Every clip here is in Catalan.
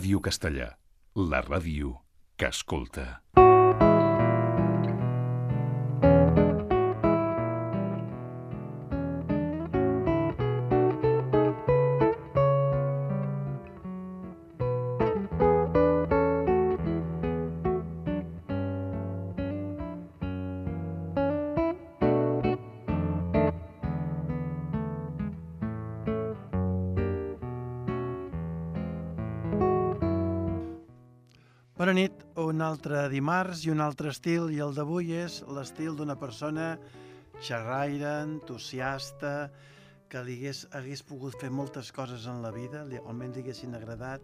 Ràdio Castellà, la ràdio que escolta. Bona nit, un altre dimarts i un altre estil, i el d'avui és l'estil d'una persona xerraire, entusiasta, que li hagués pogut fer moltes coses en la vida, almenys li haguessin agradat,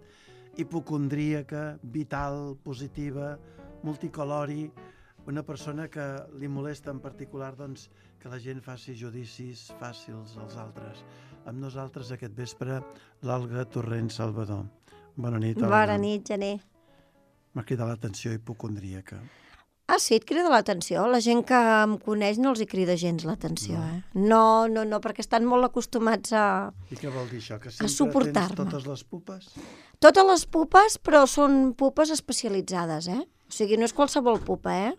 hipocondríaca, vital, positiva, multicolori, una persona que li molesta en particular doncs, que la gent faci judicis fàcils als altres. Amb nosaltres aquest vespre, l'Olga Torrent Salvador. Bona nit, Olga. Bona nit, Gené. M'ha cridat l'atenció hipocondríaca. Ah, sí, et crida l'atenció? La gent que em coneix no els hi crida gens l'atenció, No, perquè estan molt acostumats a I què vol dir això? Que sempre suportar-me. tens totes les pupes? Totes les pupes, però són pupes especialitzades, O sigui, no és qualsevol pupa,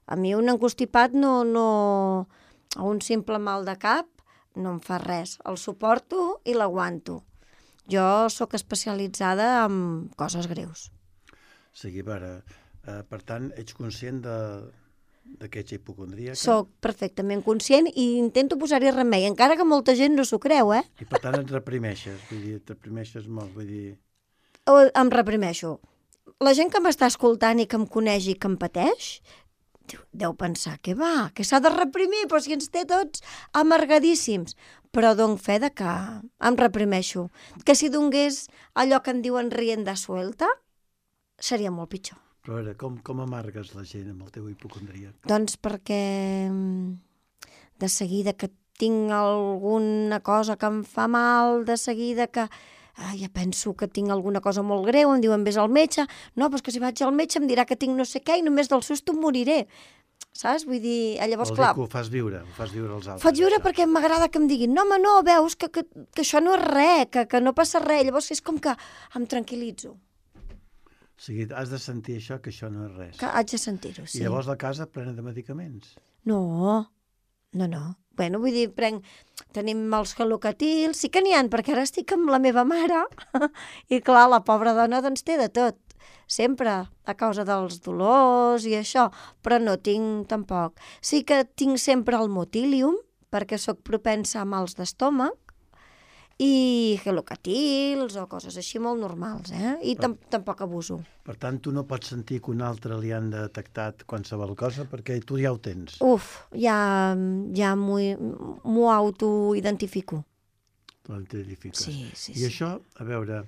A mi un encostipat no... un simple mal de cap no em fa res. El suporto i l'aguanto. Jo sóc especialitzada en coses greus. Sí, per tant, ets conscient de que ets hipocondríaca? Soc perfectament conscient i intento posar-hi remei, encara que molta gent no s'ho creu, I per tant et reprimeixes, et reprimeixes molt, Em reprimeixo. La gent que m'està escoltant i que em coneix i que em pateix, deu pensar, què va? Que s'ha de reprimir? Però si ens té tots amargadíssims. Però dono fe de que em reprimeixo. Que si donés allò que en diuen rienda suelta, seria molt pitjor. Però a veure, com amargues la gent amb el teu hipocondríac? Doncs perquè de seguida que tinc alguna cosa que em fa mal, de seguida que ja penso que tinc alguna cosa molt greu, em diuen vés al metge, no, però és que si vaig al metge em dirà que tinc no sé què i només del susto em moriré. Saps? Vull dir, llavors, Vol clar... dir que ho fas viure als altres. Faig viure perquè m'agrada que em diguin no, home, no, veus que això no és res, que no passa res. Llavors és com que em tranquil·litzo. O sigui, has de sentir això, que això no és res. Que haig de sentir-ho, sí. I llavors la casa plena de medicaments? No. Bueno, vull dir, tenim els halocatils, sí que n'hi ha, perquè ara estic amb la meva mare, i clar, la pobra dona doncs té de tot, sempre, a causa dels dolors i això, però no tinc tampoc. Sí que tinc sempre el motilium, perquè sóc propensa a mals d'estómac, i halocatils o coses així molt normals, I tampoc abuso. Per tant, tu no pots sentir que un altre li han detectat qualsevol cosa perquè tu ja ho tens. Ja m'ho autoidentifico. T'identifiques. Sí. I això, a veure,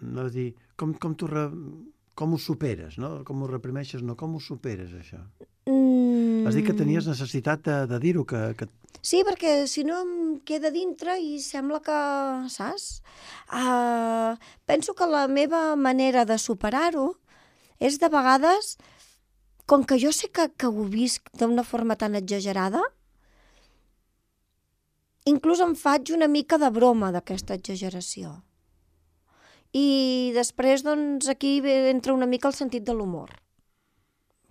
no dir, com ho superes, no? Com ho reprimeixes, no? Com ho superes, això? Has dit que tenies necessitat de dir-ho, que... Sí, perquè si no em queda dintre i sembla que, saps? Penso que la meva manera de superar-ho és de vegades, com que jo sé que ho visc d'una forma tan exagerada, inclús em faig una mica de broma d'aquesta exageració. I després, doncs, aquí entra una mica el sentit de l'humor.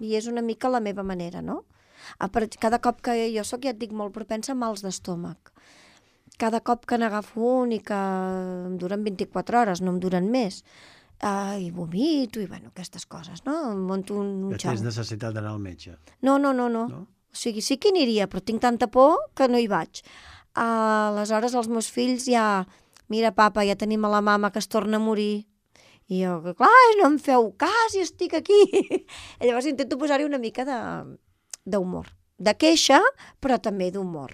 I és una mica la meva manera, no? Cada cop que jo soc, ja et dic, molt propensa a mals d'estómac. Cada cop que n'agafo un i que em duren 24 hores, no em duren més, i vomito i, bueno, aquestes coses, no? Em monto un xau. Tens necessitat d'anar al metge? No. O sigui, sí que hi aniria, però tinc tanta por que no hi vaig. Aleshores, els meus fills ja... Mira, papa, ja tenim a la mama que es torna a morir. I jo, clar, no em feu cas i estic aquí. I llavors intento posar-hi una mica d'humor. De queixa, però també d'humor.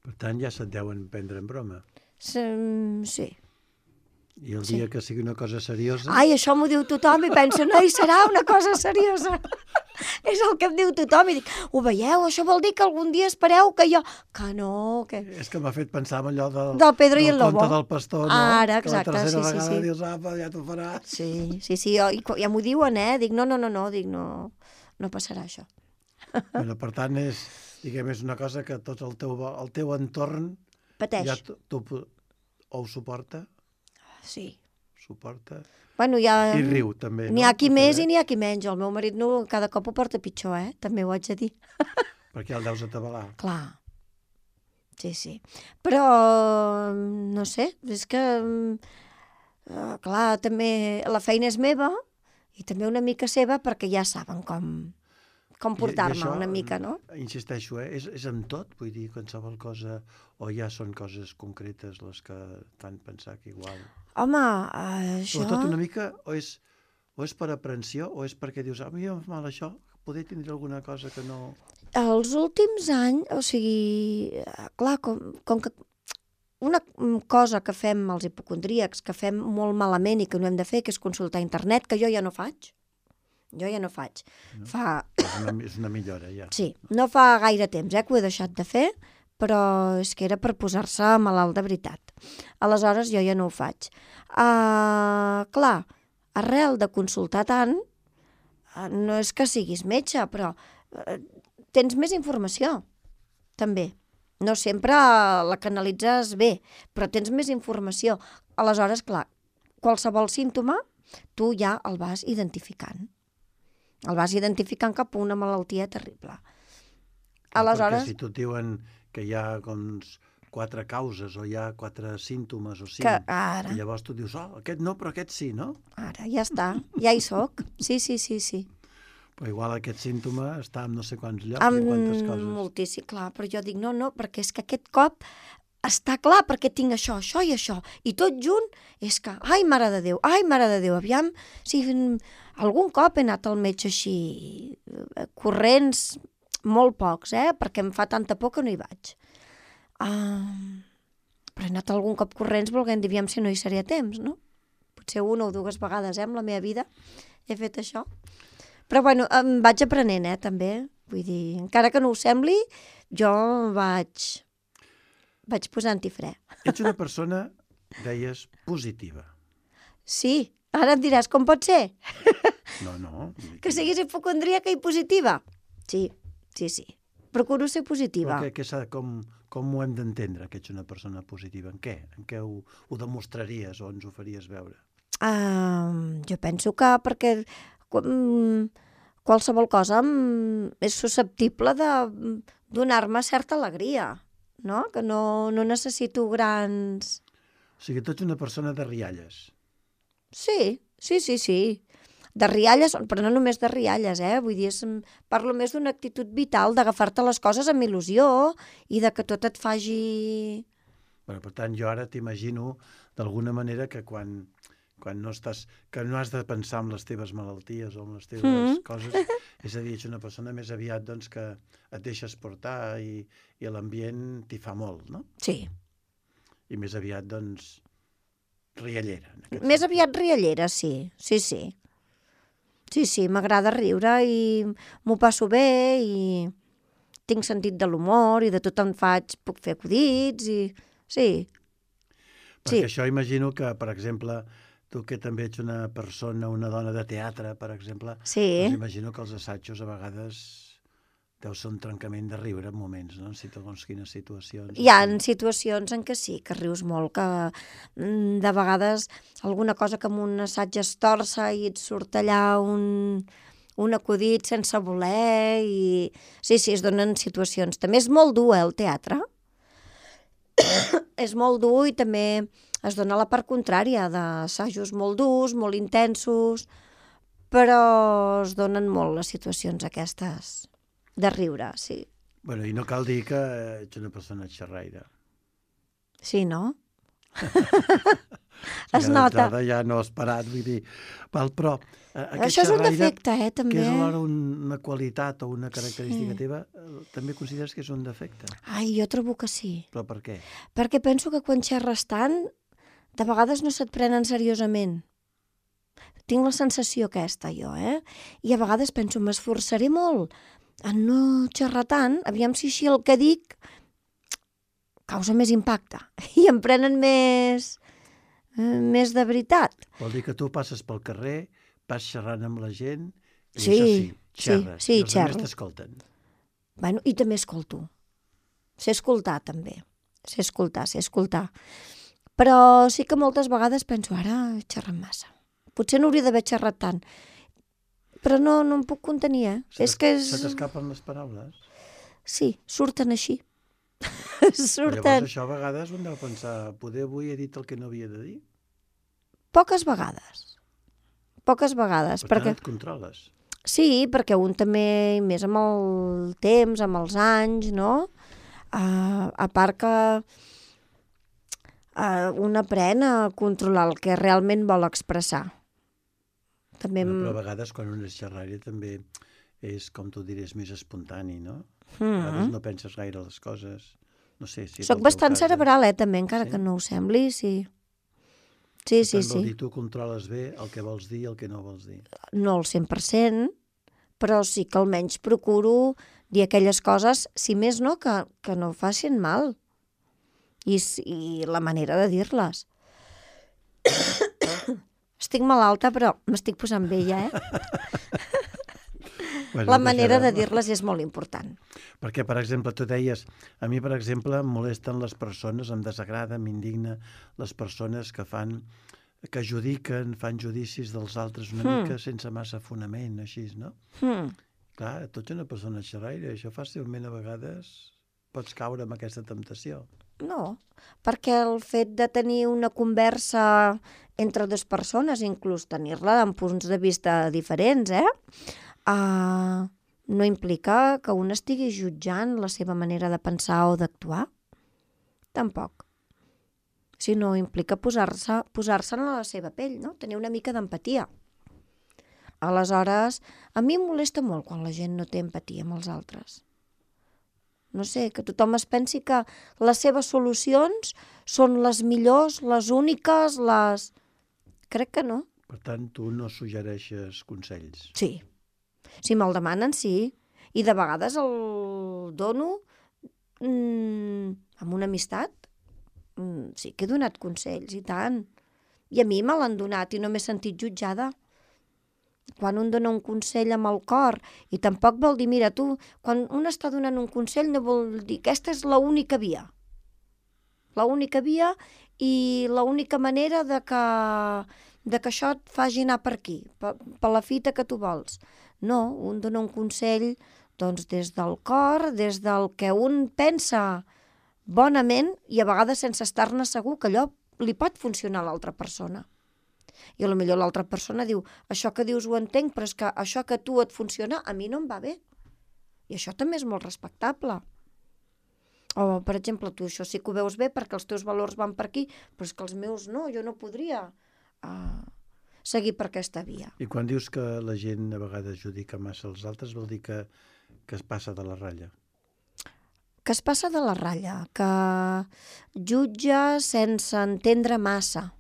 Per tant, ja se't deuen prendre en broma. Sí. I el dia que sigui una cosa seriosa... Ai, això m'ho diu tothom i penso, no hi serà una cosa seriosa. És el que em diu tothom i dic, ho veieu? Això vol dir que algun dia espereu que jo... Que no, que... És que m'ha fet pensar en allò del Pedro i el Lobo. Del conte del pastor, no? Ara, exacte, que la tercera vegada sí. dius, apa, ja t'ho faràs. Sí, ja m'ho diuen, Dic, no, dic, no passarà això. Bueno, per tant, és una cosa que tot el teu entorn... Pateix. Ja ho suporta? Sí. suporta. Bueno, ja... I riu, també, no? N'hi ha qui Perquè més i n'hi ha qui menys. El meu marit no, cada cop ho porta pitjor, també ho haig de dir. Perquè el deus atabalar. Clar. Sí, sí. Però, no sé, és que, clar, també la feina és meva i també una mica seva perquè ja saben com portar-me una mica, no? Insisteixo, és amb tot? Vull dir, qualsevol cosa, o ja són coses concretes les que fan pensar que igual... Home, això... Sobretot una mica, o és per aprensió, o és perquè dius, a mi em fa mal això, poder tindre alguna cosa que no... Els últims anys, o sigui, clar, com que una cosa que fem els hipocondríacs, que fem molt malament i que no hem de fer, que és consultar a internet, que jo ja no faig. Jo ja no faig. No? Fa... És una millora, ja. Sí, no fa gaire temps que ho he deixat de fer, però és que era per posar-se malalt de veritat. Aleshores jo ja no ho faig. Clar, arrel de consultar tant, no és que siguis metge, però tens més informació, també. No sempre la canalitzes bé, però tens més informació. Aleshores, clar, qualsevol símptoma tu ja el vas identificant. El vas identificant cap a una malaltia terrible. Aleshores... Perquè si tu et diuen que hi ha 4 causes o hi ha 4 símptomes o 5, ara... i llavors tu dius, aquest no, però aquest sí, no? Ara, ja està, ja hi soc. Sí. Però igual aquest símptoma està en no sé quants llocs i en quantes coses. Moltíssim, clar, però jo dic no, perquè és que aquest cop està clar perquè tinc això i això, i tot junt és que, ai, mare de Déu, aviam, si algun cop he anat al metge així, corrents, molt pocs, perquè em fa tanta por que no hi vaig. Però he anat algun cop corrents volent dir, aviam si no hi seré a temps, no? Potser 1 o 2 vegades, en la meva vida he fet això. Però, bueno, em vaig aprenent, també. Vull dir, encara que no ho sembli, jo vaig posant-hi fre. Ets una persona, deies, positiva. Sí, ara em diràs, com pot ser? No. Que siguis hipocondríaca i positiva? Sí. Procuro ser positiva. Però com ho hem d'entendre, que ets una persona positiva? En què? En què ho demostraries o ens ho faries veure? Jo penso que perquè qualsevol cosa és susceptible de donar-me certa alegria, no? Que no necessito grans... O sigui, tu ets una persona de rialles. Sí. De rialles, però no només de rialles, vull dir, parlo més d'una actitud vital, d'agafar-te les coses amb il·lusió i de que tot et faci... Per tant, jo ara t'imagino d'alguna manera que quan no estàs, que no has de pensar en les teves malalties o en les teves coses, és a dir, ets una persona més aviat doncs, que et deixes portar i l'ambient t'hi fa molt, no? Sí. I més aviat, doncs, riallera. Més aviat riallera, sí. Sí, m'agrada riure i m'ho passo bé i tinc sentit de l'humor i de tot en puc fer acudits i... Sí. Perquè això imagino que, per exemple, tu que també ets una persona, una dona de teatre, per exemple, doncs imagino que els assajos a vegades deu ser un trencament de riure en moments, no? En segons quines situacions. Hi ha situacions en què sí, que rius molt, que de vegades alguna cosa que en un assaig es torça i et surt allà un acudit sense voler i... Sí, es donen situacions. També és molt dur, el teatre. És molt dur i també es dona la part contrària d'assajos molt durs, molt intensos, però es donen molt les situacions aquestes de riure, sí. Bueno, i no cal dir que ets una persona xerraire. Sí, no? Es nota. Ja no has parat, vull dir... Però això és un defecte, també. Que és alhora una qualitat o una característica teva, també consideres que és un defecte? Ai, jo trobo que sí. Però per què? Perquè penso que quan xerres tant, de vegades no se't prenen seriosament. Tinc la sensació aquesta, jo, I a vegades penso, m'esforçaré molt a no xerrar tant, aviam si així el que dic causa més impacte i em prenen més de veritat. Vol dir que tu passes pel carrer, vas xerrant amb la gent i sí, xerres. Sí, i els altres t'escolten. Bueno, i també escolto. Sé escoltar, també. Sé escoltar. Però sí que moltes vegades penso, ara he xerrat massa. Potser no hauria d'haver xerrat tant. Però no em puc contenir, És que és... Se t'escapen les paraules? Sí, surten així. Però llavors Surten això a vegades un deu pensar, poder avui he dit el que no havia de dir? poques vegades. Poques vegades. Per tant, Perquè... et controles. Sí, perquè un també, i més amb el temps, amb els anys, no? A part que un aprèn a controlar el que realment vol expressar. També... Però a vegades quan un és xerraire també és, com tu diries, més espontani, no? A vegades no penses gaire les coses. No sé si... Soc bastant cerebral, també, encara Sí? que no ho sembli, sí. Sí, sí, Vol sí. dir, tu controles bé el que vols dir i el que no vols dir. No al 100%, però sí que almenys procuro dir aquelles coses, si més no, que no facin mal. I la manera de dir-les. Estic malalta, però m'estic posant vella, Bueno, La manera de deixarem. dir-les és molt important. Perquè, per exemple, tu deies, a mi, per exemple, em molesten les persones, em desagrada, m'indigna les persones que judiquen, fan judicis dels altres una mica sense massa fonament, així, no? Clar, tu ets una persona xerraire, això fàcilment a vegades pots caure en aquesta temptació. No, perquè el fet de tenir una conversa entre dues persones, inclús tenir-la amb punts de vista diferents, no implica que un estigui jutjant la seva manera de pensar o d'actuar. Tampoc. Sinó implica posar-se en la seva pell, no? Tenir una mica d'empatia. Aleshores, a mi em molesta molt quan la gent no té empatia amb els altres. No sé, que tothom es pensi que les seves solucions són les millors, les úniques, les... Crec que no. Per tant, tu no suggereixes consells. Sí. Si me'l demanen, sí. I de vegades el dono amb una amistat. Sí que he donat consells, i tant. I a mi me l'han donat i no m'he sentit jutjada. Quan un dona un consell amb el cor, i tampoc vol dir, mira, tu, quan un està donant un consell no vol dir, aquesta és l'única via. L'única via i l'única manera de que això et faci anar per aquí, per la fita que tu vols. No, un dona un consell doncs, des del cor, des del que un pensa bonament i a vegades sense estar-ne segur que allò li pot funcionar a l'altra persona. I potser l'altra persona diu, això que dius ho entenc, però és que això que a tu et funciona a mi no em va bé. I això també és molt respectable. O, per exemple, tu això sí que ho veus bé perquè els teus valors van per aquí, però és que els meus no, jo no podria seguir per aquesta via. I quan dius que la gent a vegades judica massa als altres, vol dir que es passa de la ratlla. Que es passa de la ratlla, que jutja sense entendre massa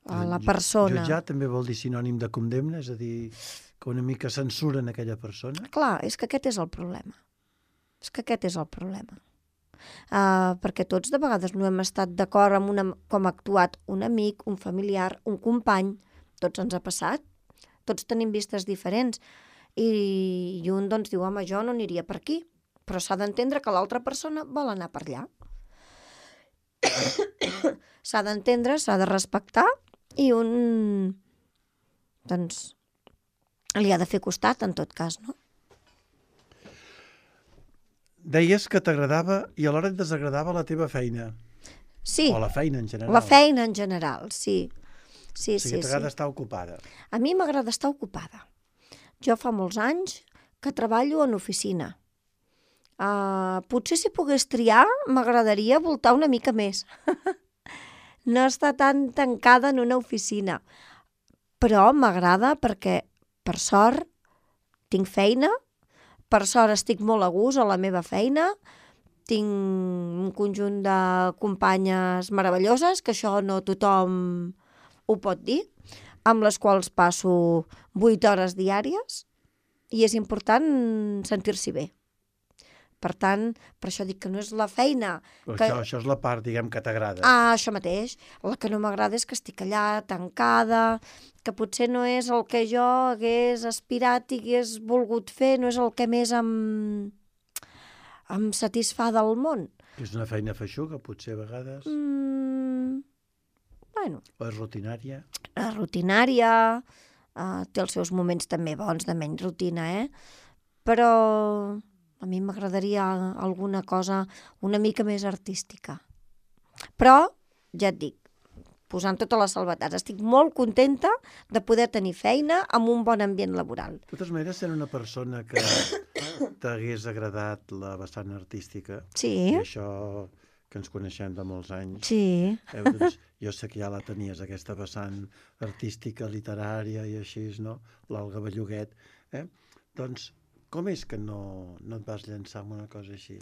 a la persona. Jutjar també vol dir sinònim de condemna, és a dir, que una mica censuren aquella persona. Clar, és que aquest és el problema. Perquè tots de vegades no hem estat d'acord amb com ha actuat un amic, un familiar, un company. Tots ens ha passat. Tots tenim vistes diferents. I un doncs diu, home, jo no aniria per aquí. Però s'ha d'entendre que l'altra persona vol anar per allà. S'ha d'entendre, s'ha de respectar i un, doncs, li ha de fer costat, en tot cas, no? Deies que t'agradava i alhora et desagradava la teva feina. Sí. O la feina en general. La feina en general, sí. Sí, o sigui, t'agrada estar ocupada. A mi m'agrada estar ocupada. Jo fa molts anys que treballo en oficina. Potser si pogués triar m'agradaria voltar una mica més. No estar tan tancada en una oficina. Però m'agrada perquè, per sort, tinc feina, per sort estic molt a gust a la meva feina, tinc un conjunt de companyes meravelloses, que això no tothom ho pot dir, amb les quals passo 8 hores diàries i és important sentir-s'hi bé. Per tant, per això dic que no és la feina... Això és la part, diguem, que t'agrada. Això mateix. La que no m'agrada és que estic allà, tancada, que potser no és el que jo hagués aspirat i hagués volgut fer, no és el que més em satisfà del món. És una feina feixuga, potser, a vegades. Bueno, O és rutinària? rutinària, té els seus moments també bons de menys rutina, però a mi m'agradaria alguna cosa una mica més artística. Però, ja et dic, posant totes les salvetats, estic molt contenta de poder tenir feina amb un bon ambient laboral. De totes maneres, sent una persona que t'hagués agradat la vessant artística, Sí, i això que ens coneixem de molts anys, sí. doncs, jo sé que ja la tenies, aquesta vessant artística, literària i així, no? L'Olga Belluguet. Doncs, com és que no et vas llançar amb una cosa així?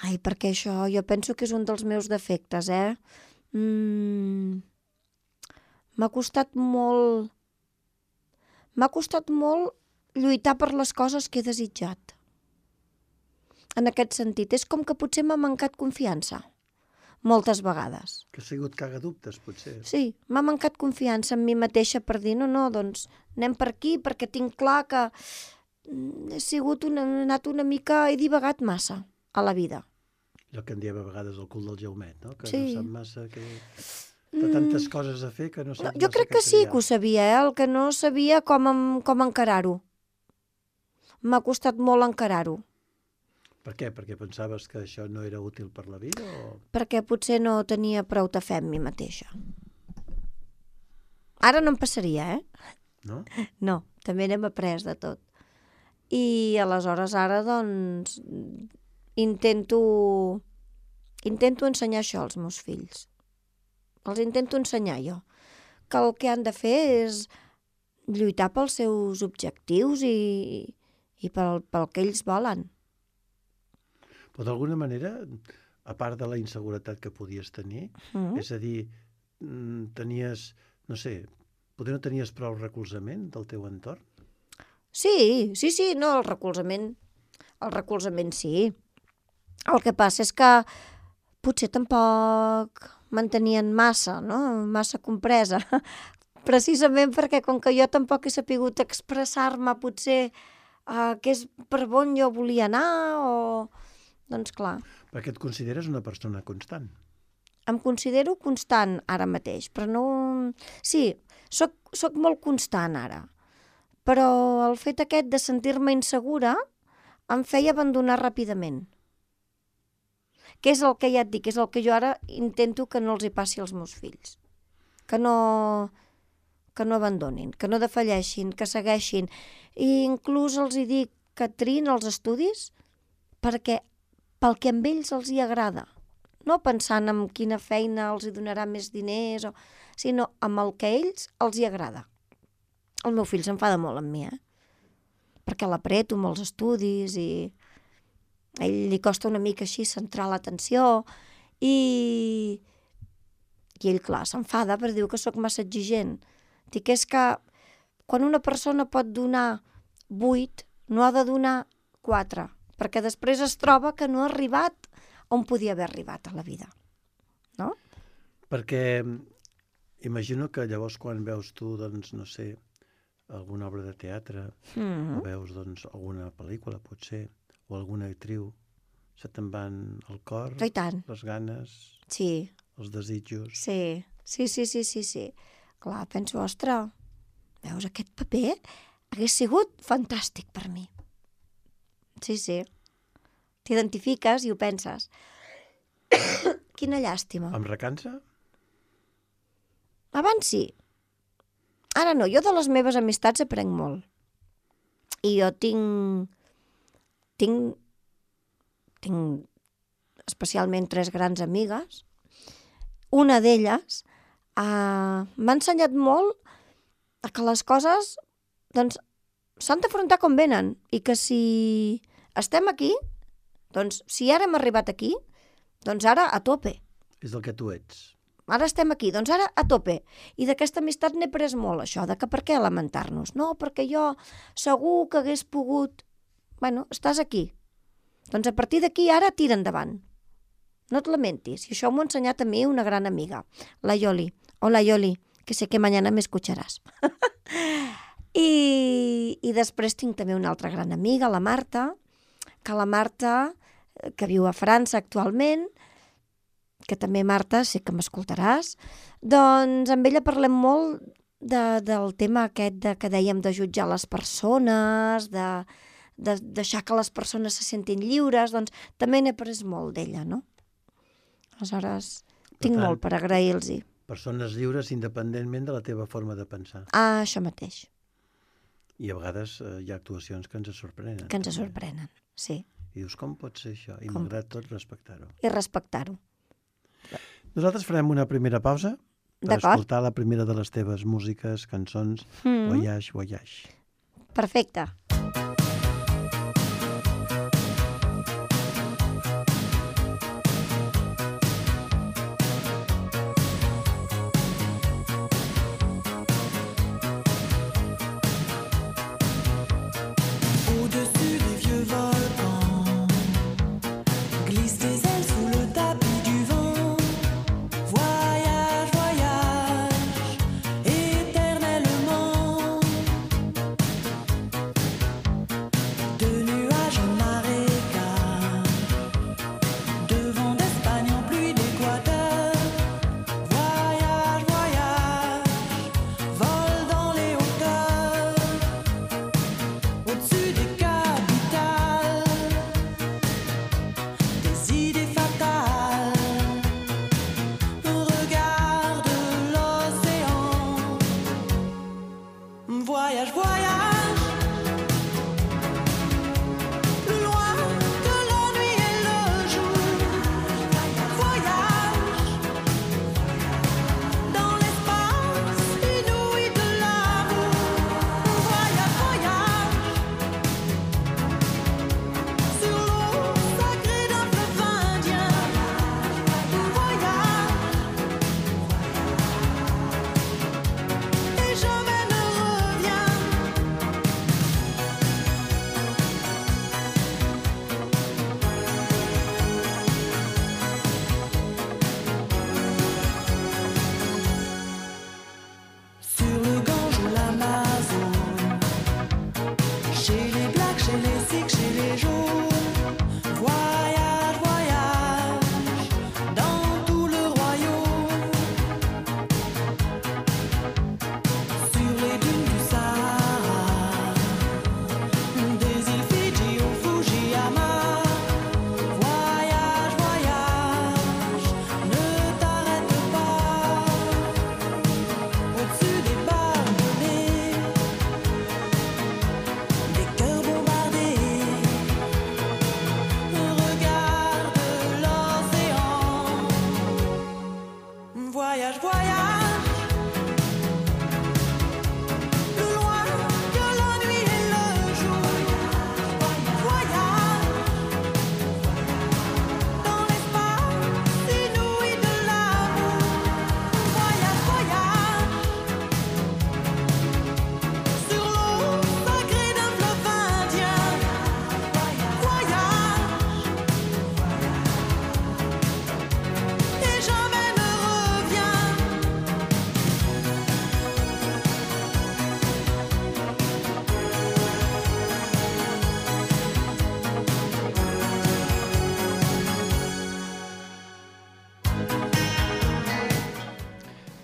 Ai, perquè això jo penso que és un dels meus defectes, M'ha costat molt lluitar per les coses que he desitjat. En aquest sentit, és com que potser m'ha mancat confiança, moltes vegades. Que ha sigut cagadubtes, potser. Sí, m'ha mancat confiança en mi mateixa per dir, no, doncs anem per aquí perquè tinc clar que he anat una mica, he divagat massa a la vida. Allò que en diem a vegades el cul del jaumet, no? Que Sí. no sap massa que... De tantes coses a fer que no saps Jo massa crec què que sí triar. que ho sabia, el que no sabia com encarar-ho. M'ha costat molt encarar-ho, Per què? Perquè pensaves que això no era útil per la vida o... perquè potser no tenia prou de fe en mi mateixa. Ara no em passaria, No? No, també n'hem après de tot. I aleshores ara, doncs, intento ensenyar això als meus fills. Els intento ensenyar jo, que el que han de fer és lluitar pels seus objectius i pel que ells volen. Però d'alguna manera, a part de la inseguretat que podies tenir, és a dir, tenies, no sé, potser no tenies prou recolzament del teu entorn? Sí, no, el recolzament sí. El que passa és que potser tampoc mantenien massa, no? Massa compresa. Precisament perquè com que jo tampoc he sapigut expressar-me potser que és per on jo volia anar o... Doncs clar. Perquè et consideres una persona constant. Em considero constant ara mateix, però no... Sí, soc molt constant ara, però el fet aquest de sentir-me insegura em feia abandonar ràpidament. Que és el que ja et dic, és el que jo ara intento que no els hi passi als meus fills. Que no abandonin, que no defalleixin, que segueixin. I inclús els hi dic que triïn els estudis pel que amb ells els hi agrada. No pensant en quina feina els hi donarà més diners, sinó amb el que ells els hi agrada. El meu fill s'enfada molt amb mi, perquè l'apreto amb els estudis i a ell li costa una mica així centrar l'atenció i ell, clar, s'enfada perquè diu que sóc massa exigent. Dic, és que quan una persona pot donar 8, no ha de donar 4, perquè després es troba que no ha arribat on podia haver arribat a la vida. No? Perquè imagino que llavors quan veus tu, doncs, no sé, alguna obra de teatre, o veus, doncs, alguna pel·lícula, potser, o alguna actriu, se te'n van al cor, I tant. les ganes, Sí, els desitjos. sí. Clar, penso, ostres, veus, aquest paper hagués sigut fantàstic per mi. Sí. T'identifiques i ho penses. Quina llàstima. Em recansa? Abans sí. Ara no, jo de les meves amistats aprenc molt. I jo tinc especialment 3 grans amigues. Una d'elles m'ha ensenyat molt a que les coses doncs, s'han d'afrontar com venen i que si estem aquí, doncs si ara hem arribat aquí, doncs ara a tope. És el que tu ets. Ara estem aquí, doncs ara a tope. I d'aquesta amistat n'he pres molt, això, de que per què lamentar-nos? No, perquè jo segur que hagués pogut... Bueno, estàs aquí. Doncs a partir d'aquí ara tira endavant. No et lamentis. I això m'ho ha ensenyat a mi una gran amiga, la Yoli. Hola, Yoli, que sé que mañana me escucharás. I després tinc també una altra gran amiga, la Marta, que viu a França actualment, que també, Marta, sé que m'escoltaràs, doncs amb ella parlem molt del tema aquest que dèiem de jutjar les persones, de deixar que les persones se sentin lliures, doncs també n'he après molt d'ella, no? Aleshores, tinc molt per agrair-los-hi. Persones lliures independentment de la teva forma de pensar. Ah, això mateix. I a vegades hi ha actuacions que ens sorprenen. Que ens sorprenen, sí. I dius, com pot ser això? I malgrat tot, respectar-ho. I respectar-ho. Nosaltres farem una primera pausa per escoltar la primera de les teves músiques, cançons, Voyage, Voyage. Perfecte.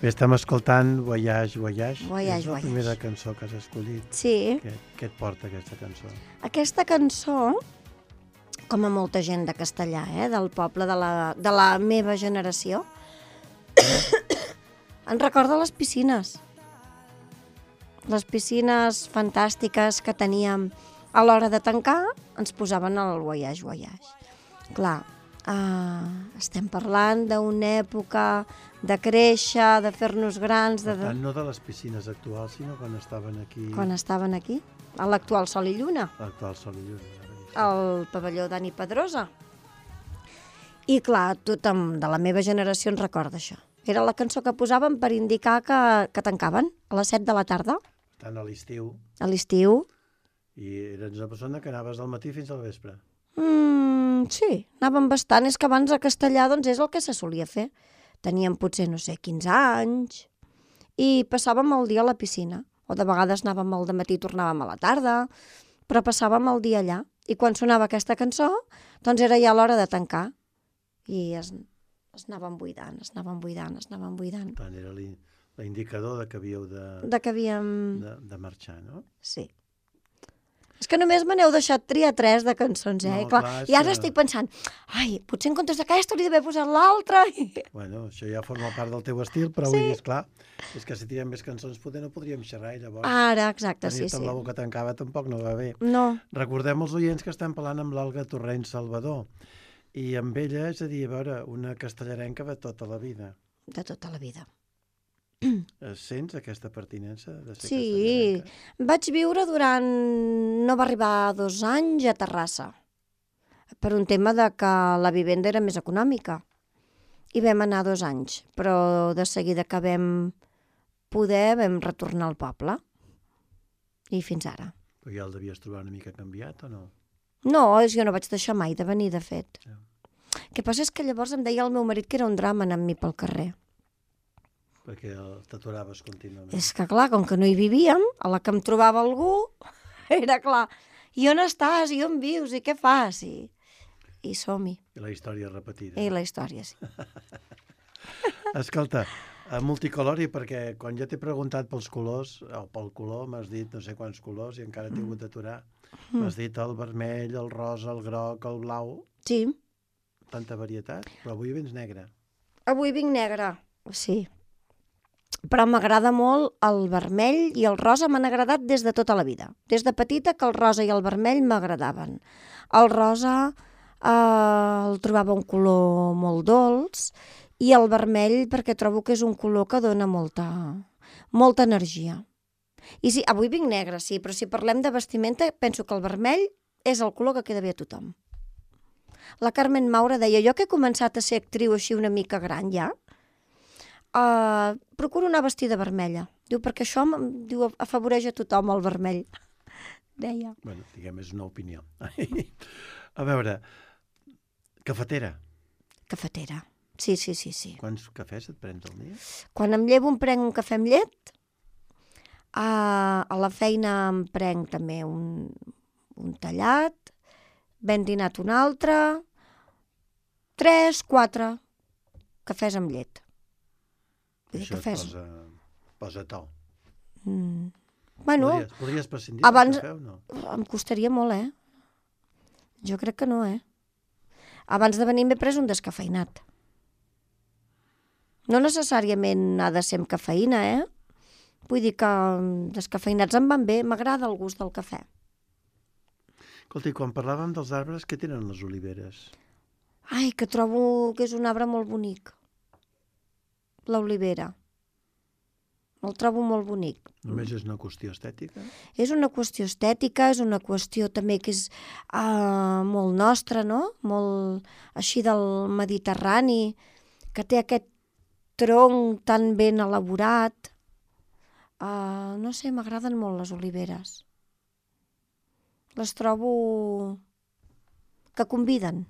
Bé, estem escoltant Voyage, Voyage. Voyage, és la Voyage. primera cançó que has escollit. Sí. Què et porta aquesta cançó? Aquesta cançó, com a molta gent de castellà, del poble de la meva generació, ens recorda les piscines. Les piscines fantàstiques que teníem a l'hora de tancar, ens posaven el Voyage, Voyage. Clar, estem parlant d'una època de créixer, de fer-nos grans... Per tant, no de les piscines actuals, sinó quan estaven aquí... Quan estaven aquí, a l'actual Sol i Lluna. L'actual Sol i Lluna. Al pavelló Dani Pedrosa. I clar, tothom de la meva generació ens recorda això. Era la cançó que posàvem per indicar que tancaven a les 7 de la tarda. Tant a l'estiu. A l'estiu. I eres una persona que anaves del matí fins al vespre. Sí, anàvem bastant. És que abans a Castellà doncs, és el que se solia fer. Teníem potser, no sé, 15 anys i passàvem el dia a la piscina. O de vegades anàvem al dematí i tornàvem a la tarda, però passàvem el dia allà. I quan sonava aquesta cançó, doncs era ja l'hora de tancar. I es anaven buidant, es anaven buidant, es anaven buidant. Tant era l'indicador de que havíeu De que havíem... de marxar, no? Sí. És que només me n'heu deixat triar 3 de cançons, No, I clar, clar, és i ara que- estic pensant, ai, potser en comptes d'aquesta hauria d'haver posat l'altra. Bueno, això ja forma part del teu estil, però Sí. vull dir, esclar, és que si tirem més cançons poder no podríem xerrar i llavors Ara, exacte, sí, tenir-te sí. amb la boca tancada tampoc no va bé. No, Recordem als oients que estem parlant amb l'Olga Torrent Salvador i amb ella, és a dir, a veure, una castellarenca de tota la vida. de tota la vida. Sents aquesta pertinença de ser Sí, castellarenca? vaig viure durant... No va arribar 2 anys a Terrassa, per un tema de que la vivenda era més econòmica. I vam anar 2 anys, però de seguida que vam poder vam retornar al poble. I fins ara. Però ja el devies trobar una mica canviat o no? No, jo no vaig deixar mai de venir, de fet. Ja. El que passa és que llavors em deia el meu marit que era un drama anar amb mi pel carrer. Perquè t'aturaves contínuament. És que clar, com que no hi vivíem, a la que em trobava algú, era clar, i on estàs, i on vius, i què fas? I som-hi. I la història repetida. I la història, sí. Escolta, multicolori, perquè quan jo t'he preguntat pels colors, o pel color, m'has dit no sé quants colors i encara t'he hagut d'aturar. M'has dit el vermell, el rosa, el groc, el blau, Sí, tanta varietat, però avui vens negre. avui vinc negra, sí. Però m'agrada molt el vermell i el rosa, m'han agradat des de tota la vida. Des de petita que el rosa i el vermell m'agradaven. El rosa el trobava un color molt dolç i el vermell perquè trobo que és un color que dona molta energia. I sí, avui vinc negra, sí, però si parlem de vestimenta penso que el vermell és el color que queda bé a tothom. La Carmen Maura deia, jo que he començat a ser actriu així una mica gran ja, procuro anar vestida vermella. Diu, perquè això diu, afavoreix a tothom el vermell. Deia. Bueno, diguem, és una opinió. A veure, cafetera. Cafetera. Sí. Quants cafès et prens al dia? Quan em llevo em prenc un cafè amb llet. A la feina em prenc també un tallat. Ben dinat un altre. 3, 4 cafès amb llet. Vull dir, Això cafès... posa to. Bueno, Podries prescindir abans- del cafè o no? em costaria molt, Jo crec que no, Abans de venir m'he pres un descafeïnat. No necessàriament ha de ser amb cafeïna, Vull dir que descafeïnats em van bé, m'agrada el gust del cafè. Escolta, i quan parlàvem dels arbres, què tenen les oliveres? Ai, que trobo que és un arbre molt bonic. L'olivera. El trobo molt bonic. Només és una qüestió estètica? És una qüestió estètica, és una qüestió també que és molt nostra, no? Molt així del Mediterrani, que té aquest tronc tan ben elaborat. No sé, m'agraden molt les oliveres. Les trobo que conviden.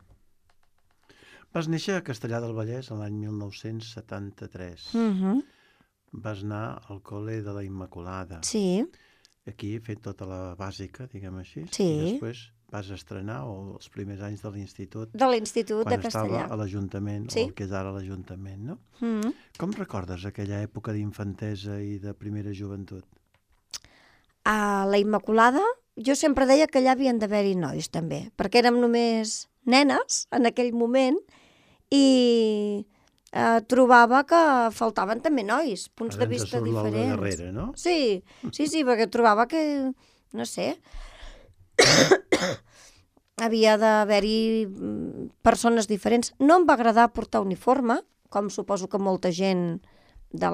Vas néixer a Castellar del Vallès l'any 1973. Vas anar al col·le de la Immaculada. Sí, Aquí he fet tota la bàsica, diguem així. Sí. I després vas estrenar els primers anys de l'institut de l'Institut de quan estava Castellà. a l'Ajuntament, Sí. o el que és ara l'Ajuntament, no? Mm. Com recordes aquella època d'infantesa i de primera joventut? A la Immaculada, jo sempre deia que allà havien d'haver-hi nois també, perquè érem només nenes en aquell moment i trobava que faltaven també nois, punts de Ara ens vista surt l'Olga diferents. Guerrera, no? Sí, perquè trobava que, no sé, havia d'haver-hi persones diferents. No em va agradar portar uniforme, com suposo que molta gent de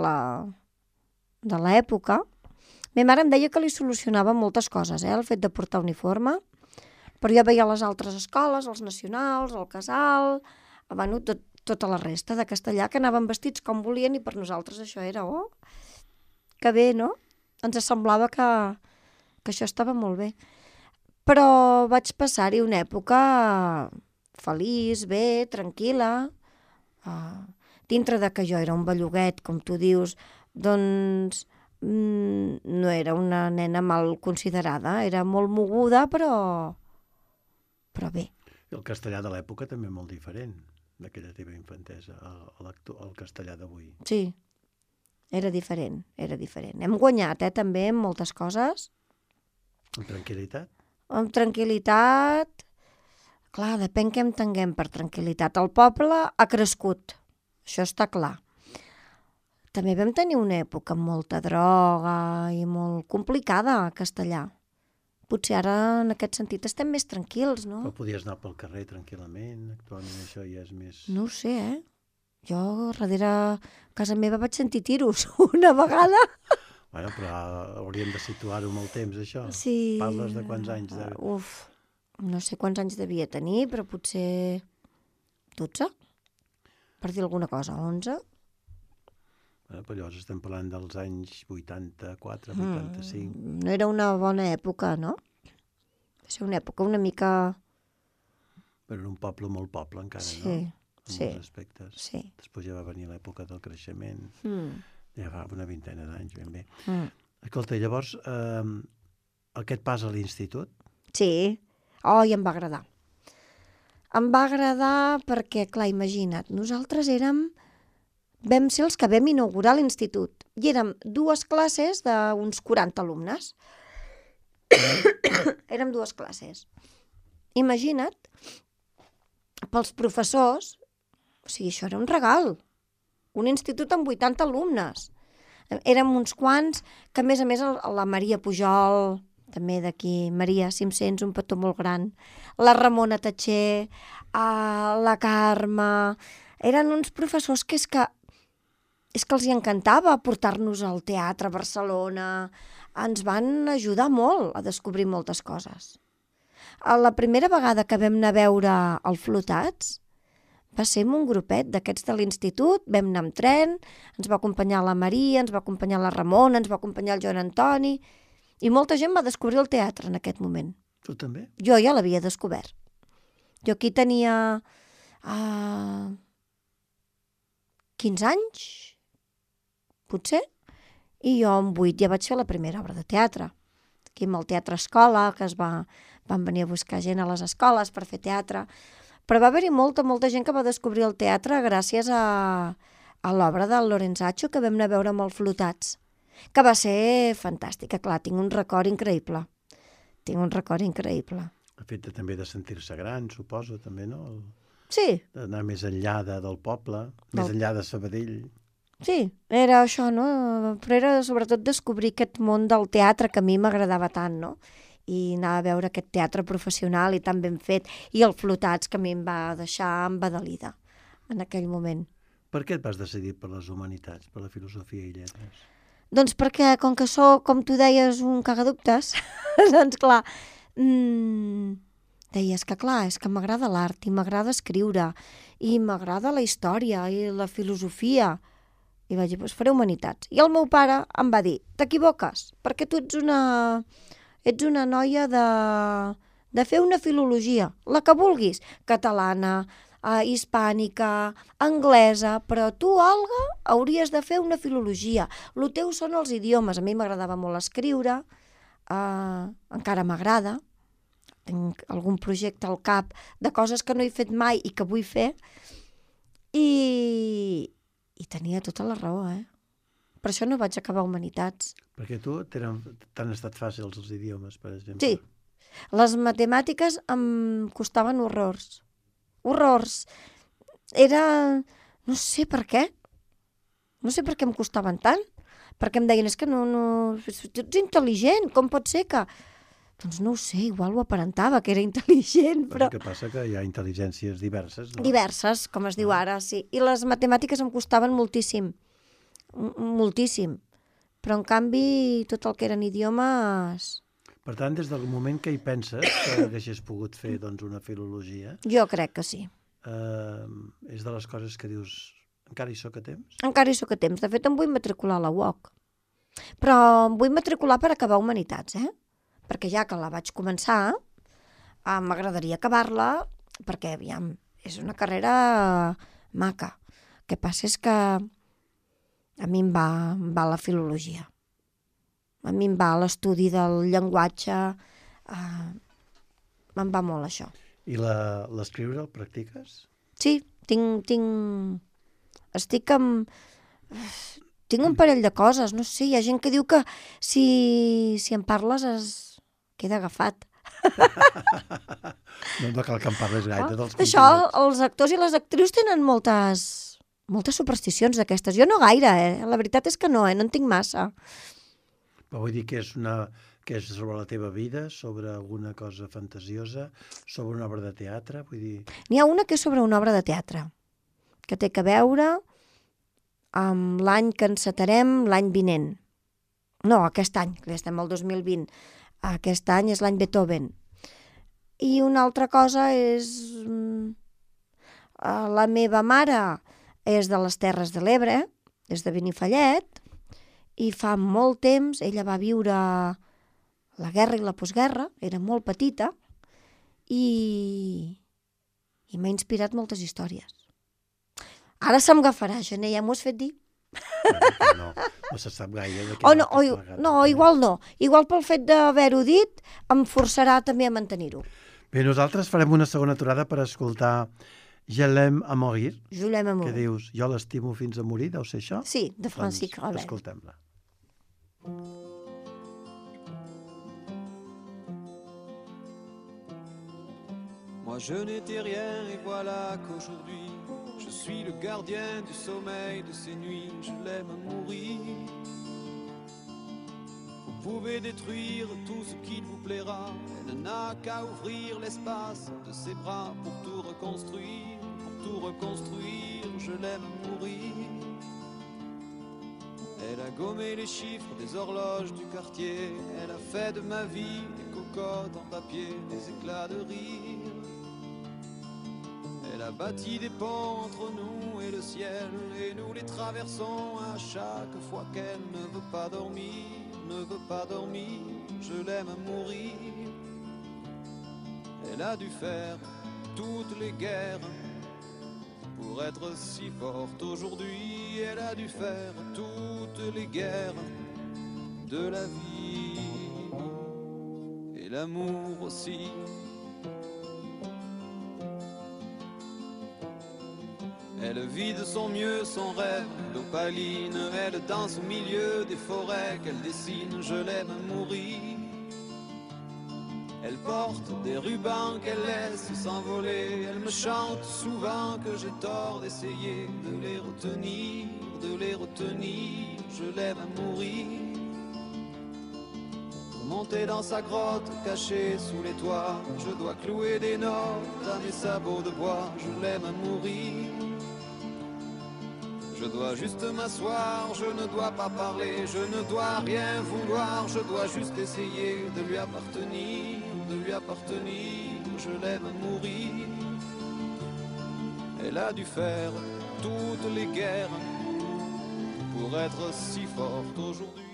l'època. Ma mare em deia que li solucionava moltes coses, el fet de portar uniforme, però jo veia les altres escoles, els nacionals, el casal, bueno, tota la resta de Castellà, que anaven vestits com volien i per nosaltres això era, que bé, no? Ens semblava que això estava molt bé. Però vaig passar-hi una època feliç, bé, tranquil·la, dintre de que jo era un belluguet, com tu dius, doncs no era una nena mal considerada, era molt moguda, però bé. I el castellà de l'època també molt diferent. d'aquella teva infantesa, el castellà d'avui? Sí, era diferent. Hem guanyat, també, en moltes coses. Amb tranquil·litat? Amb tranquil·litat. Clar, depèn què entenguem per tranquil·litat. El poble ha crescut, això està clar. També vam tenir una època amb molta droga i molt complicada a Castellà. Potser ara, en aquest sentit, estem més tranquils, no? Però podies anar pel carrer tranquil·lament, actualment això ja és més... No ho sé, Jo, darrere casa meva vaig sentir tiros una vegada. Bueno, però hauríem de situar-ho amb el temps, això. Sí. Parles de quants anys? No sé quants anys devia tenir, però potser 12, per dir alguna cosa, 11. Bueno, però llavors estem parlant dels anys 84, 85... No era una bona època, no? Va ser una època una mica... Però era un poble molt poble encara, Sí, no? En sí, molts aspectes. sí. Després ja va venir l'època del creixement, ja fa una vintena d'anys, ben bé. Escolta, llavors, aquest pas a l'institut? Sí. Oh, i em va agradar. Em va agradar perquè, clar, imagina't, nosaltres vam ser els que vam inaugurar l'institut i érem 2 classes d'uns 40 alumnes. Érem 2 classes. Imagina't, pels professors, o sigui, això era un regal. Un institut amb 80 alumnes. Érem uns quants que, a més, la Maria Pujol, també d'aquí, Maria 500, un petó molt gran, la Ramona Tatxer, la Carme... Eren uns professors que és que els hi encantava portar-nos al teatre a Barcelona. Ens van ajudar molt a descobrir moltes coses. La primera vegada que vam anar a veure el Flotats va ser amb un grupet d'aquests de l'institut, vam anar amb tren, ens va acompanyar la Maria, ens va acompanyar la Ramona, ens va acompanyar el Joan Antoni, i molta gent va descobrir el teatre en aquest moment. Tu també? Jo ja l'havia descobert. Jo aquí tenia 15 anys, potser, i jo amb 8 ja vaig fer la primera obra de teatre. Aquí amb el Teatre Escola, que van venir a buscar gent a les escoles per fer teatre. Però va haver-hi molta gent que va descobrir el teatre gràcies a l'obra del Lorenzaccio que vam anar a veure amb el Flotats, que va ser fantàstica. Clar, tinc un record increïble. El fet també de sentir-se gran, suposo, també, no? Sí. D'anar més enllà del poble, més enllà de Sabadell. Sí, era això, no? Però era sobretot descobrir aquest món del teatre que a mi m'agradava tant, no? I anar a veure aquest teatre professional i tan ben fet, i el Flotats, que a mi em va deixar embadalida en aquell moment. Per què et vas decidir per les humanitats, per la filosofia i lletres? Doncs perquè, com que sóc, com tu deies, un cagadubtes, doncs clar, deies que clar, és que m'agrada l'art i m'agrada escriure i m'agrada la història i la filosofia. I vaig dir, doncs faré humanitats. I el meu pare em va dir, t'equivoques, perquè tu ets una noia de fer una filologia, la que vulguis, catalana, hispànica, anglesa, però tu, Olga, hauries de fer una filologia. El teu són els idiomes. A mi m'agradava molt escriure, encara m'agrada. Tinc algun projecte al cap de coses que no he fet mai i que vull fer. I tenia tota la raó, Per això no vaig acabar humanitats. Perquè tu t'han estat fàcils els idiomes, per exemple. Sí. Les matemàtiques em costaven horrors. Horrors. Era... No sé per què. No sé per què em costaven tant. Perquè em deien, és que no... Tu ets intel·ligent, com pot ser que... Doncs no ho sé, igual ho aparentava, que era intel·ligent, però... El que passa que hi ha intel·ligències diverses, no? Diverses, com es diu ara, sí. I les matemàtiques em costaven moltíssim. Moltíssim. Però, en canvi, tot el que eren idiomes... Per tant, des del moment que hi penses que haguessis pogut fer doncs, una filologia... Jo crec que sí. És de les coses que dius, encara hi soc a temps? Encara hi soc a temps. De fet, em vull matricular a la UOC. Però em vull matricular per acabar humanitats, Perquè ja que la vaig començar, m'agradaria acabar-la, perquè, aviam, és una carrera maca. El que passa és que a mi em va la filologia. A mi em va l'estudi del llenguatge, me'n va molt això. I l'escriure el practiques? Sí, estic amb... Tinc un parell de coses, no sé, hi ha gent que diu que si en parles es queda agafat. No cal que em parles gaire dels Això, continguts. els actors i les actrius tenen moltes supersticions d'aquestes. Jo no gaire, la veritat és que no en tinc massa. Però vull dir que és sobre la teva vida, sobre alguna cosa fantasiosa, sobre una obra de teatre, vull dir... N'hi ha una que és sobre una obra de teatre, que té a veure amb l'any que encetarem l'any vinent. No, aquest any, que estem al 2020. Aquest any és l'any Beethoven. I una altra cosa és... La meva mare és de les Terres de l'Ebre, és de Benifallet, i fa molt temps ella va viure la guerra i la postguerra, era molt petita, i m'ha inspirat moltes històries. Ara se'm agafarà, Gené, ja m'ho has fet dir? No se sap gaire de què no, igual no. Igual pel fet d'haver-ho dit em forçarà també a mantenir-ho. Bé, nosaltres farem una segona aturada per escoltar Je l'aime à mourir, Je l'aime à mourir. que dius jo l'estimo fins a morir, deu ser això? Sí, de Francis Ravel. Doncs escoltem-la. Moi je n'étais rien et voilà qu'aujourd'hui je suis le gardien du sommeil de ces nuits, je l'aime à mourir. Vous pouvez détruire tout ce qu'il vous plaira, elle n'a qu'à ouvrir l'espace de ses bras pour tout reconstruire, je l'aime à mourir. Elle a gommé les chiffres des horloges du quartier, elle a fait de ma vie des cocottes en papier, des éclats de rire. Elle a bâti des ponts entre nous et le ciel, et nous les traversons à chaque fois qu'elle ne veut pas dormir, je l'aime à mourir. Elle a dû faire toutes les guerres pour être si forte aujourd'hui, elle a dû faire toutes les guerres de la vie, et l'amour aussi. Elle vit de son mieux son rêve d'opaline, elle danse au milieu des forêts qu'elle dessine, je l'aime à mourir. Elle porte des rubans qu'elle laisse s'envoler, elle me chante souvent que j'ai tort d'essayer de les retenir, je l'aime à mourir. Pour monter dans sa grotte cachée sous les toits, je dois clouer des notes à mes sabots de bois, je l'aime à mourir. Je dois juste m'asseoir, je ne dois pas parler, je ne dois rien vouloir, je dois juste essayer de lui appartenir, je l'aime à mourir. Elle a dû faire toutes les guerres pour être si forte aujourd'hui.